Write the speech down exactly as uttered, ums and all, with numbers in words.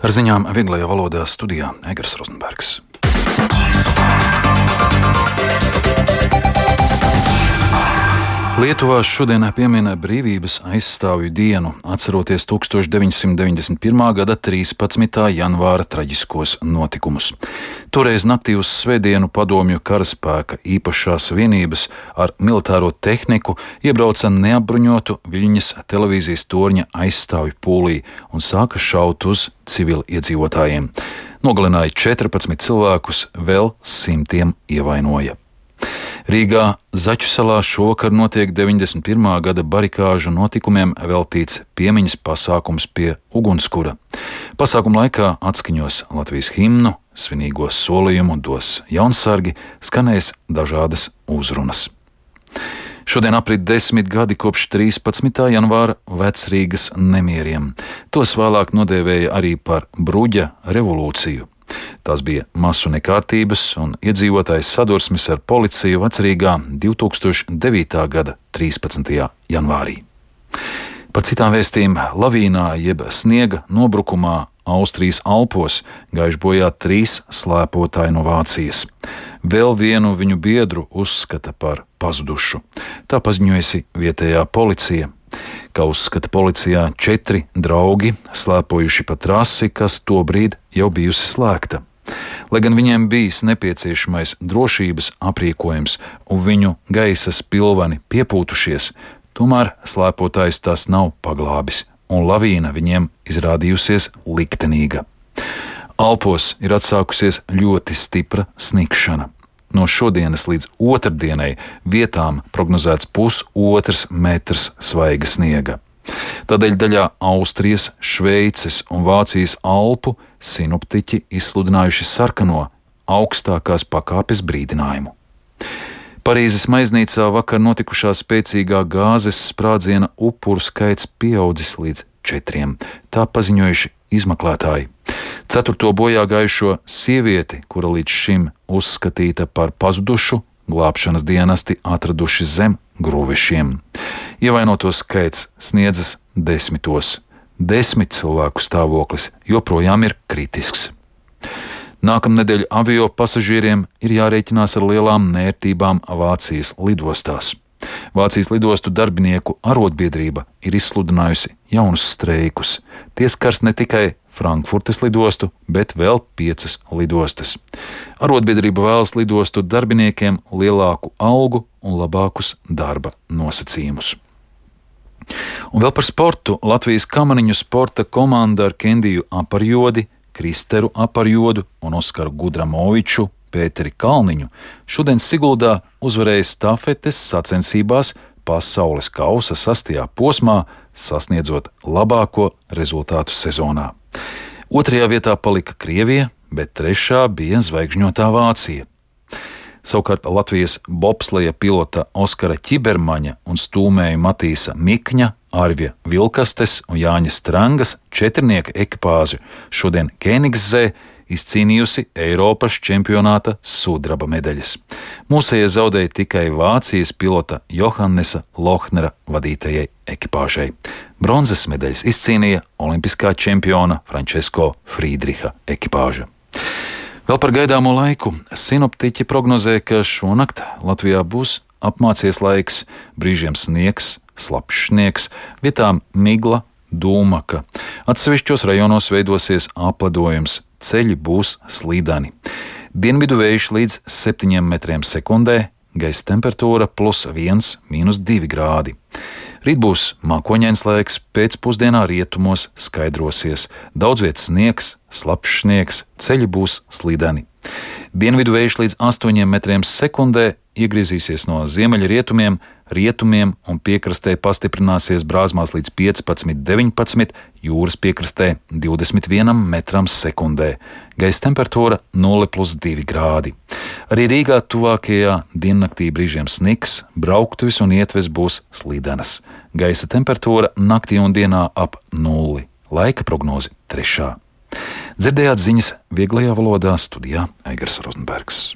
Ar ziņām vieglajā valodā studijā Egers Rozenbergs. Lietuvā šodien piemin brīvības aizstāvju dienu, atceroties tūkstoš deviņsimt deviņdesmit pirmā gada trīspadsmitā janvāra traģiskos notikumus. Toreiz naktī uz svētdienu padomju karaspēka īpašās vienības ar militāro tehniku iebrauca neapbruņotu Viļņas televīzijas torņa aizstāvju pūlī un sāka šaut uz civiliedzīvotājiem. Nogalināja četrpadsmit cilvēkus, vēl simtiem ievainoja. Rīgā Zaķu salā šovakar notiek deviņdesmit pirmā gada barikāžu notikumiem veltīts piemiņas pasākums pie ugunskura. Pasākuma laikā atskaņos Latvijas himnu, svinīgo solījumu dos jaunsargi, skanēs dažādas uzrunas. Šodien aprit desmit gadi kopš trīspadsmitā janvāra Vecrīgas nemieriem. Tos vēlāk nodēvēja arī par bruģa revolūciju. Tās bija masu nekārtības un iedzīvotājs sadursmes ar policiju Vecrīgā divtūkstoš devītā gada trīspadsmitajā janvārī. Par citām vēstīm lavīnā jeb sniega nobrukumā Austrijas Alpos gājuši bojā trīs slēpotāji no Vācijas. Vēl vienu viņu biedru uzskata par pazudušu. Tā paziņojusi vietējā policija. Kā uzskata policijā, četri draugi slēpojuši pa trasi, kas tobrīd jau bijusi slēgta. Lai gan viņiem bijis nepieciešamais drošības aprīkojums un viņu gaisa spilveni piepūtušies, tomēr slēpotājs tās nav paglābis, un lavīna viņiem izrādījusies liktenīga. Alpos ir atsākusies ļoti stipra snikšana. No šodienas līdz otrdienai vietām prognozēts pusotrs metrs svaiga sniega. Tādēļ daļā Austrijas, Šveices un Vācijas Alpu sinoptiķi izsludinājuši sarkano augstākās pakāpes brīdinājumu. Parīzes maiznīcā vakar notikušā spēcīgā gāzes sprādziena upuru skaits pieaudzis līdz četriem. Tā paziņojuši izmeklētāji. Ceturto bojā gājušo sievieti, kura līdz šim uzskatīta par pazudušu, glābšanas dienesti atraduši zem grūvešiem. Ievainoto skaits sniedzas desmitos. Desmit cilvēku stāvoklis joprojām ir kritisks. Nākamnedēļ avio pasažieriem ir jārēķinās ar lielām nērtībām Vācijas lidostās. Vācijas lidostu darbinieku arotbiedrība ir izsludinājusi jaunus streikus. Tie skars ne tikai Frankfurtes lidostu, bet vēl piecas lidostas. Arotbiedrība vēlas lidostu darbiniekiem lielāku algu un labākus darba nosacījumus. Un vēl par sportu. Latvijas kamaniņu sporta komanda ar Kendiju Aparjodi, Kristeru Aparjodu un Oskaru Gudramoviču, Pēteri Kalniņu šodien Siguldā uzvarēja stafetes sacensībās pasaules kausa sastajā posmā, sasniedzot labāko rezultātu sezonā. Otrajā vietā palika Krievija, bet trešā bija zvaigžņotā Vācija. Savukārt Latvijas bobsleja pilota Oskara Ķibermaņa un stūmēju Matīsa Mikņa, Arvija Vilkastes un Jāņa Strangas četrnieka ekipāžu šodien Kēnigszē izcīnījusi Eiropas čempionāta sudraba medaļas. Mūsējie zaudēja tikai Vācijas pilota Johannesa Lohnera vadītajai ekipāžai. Bronzas medaļas izcīnīja olimpiskā čempiona Frančesko Frīdriha ekipāža. Vēl par gaidāmo laiku. Sinoptiķi prognozē, ka šonakt Latvijā būs apmācies laiks, brīžiem sniegs, slapjš sniegs, vietām migla, dūmaka. Atsevišķos rajonos veidosies apledojums, ceļi būs slīdani. Dienvidu vējš līdz septiņiem metriem sekundē, gaisa temperatūra plus viens, mīnus divi grādi. Rīt būs mākoņains laiks, pēcpusdienā rietumos skaidrosies. Daudz vietas sniegs, slapjš sniegs, ceļi būs slīdeni. Dienvidu vējš līdz astoņiem metriem sekundē iegriezīsies no ziemeļrietumiem, rietumiem un piekrastē pastiprināsies brāzmās līdz piecpadsmit, deviņpadsmit, jūras piekrastē divdesmit vienam metram sekundē. Gaisa temperatūra nulle plus divi grādi. Arī Rīgā tuvākajā diennaktī brīžiem sniks, brauktuves un ietves būs slīdenas. Gaisa temperatūra naktī un dienā ap nulli. Laika prognoze trešā. Dzirdējāt ziņas vieglajā valodā studijā Egers Rozenbergs.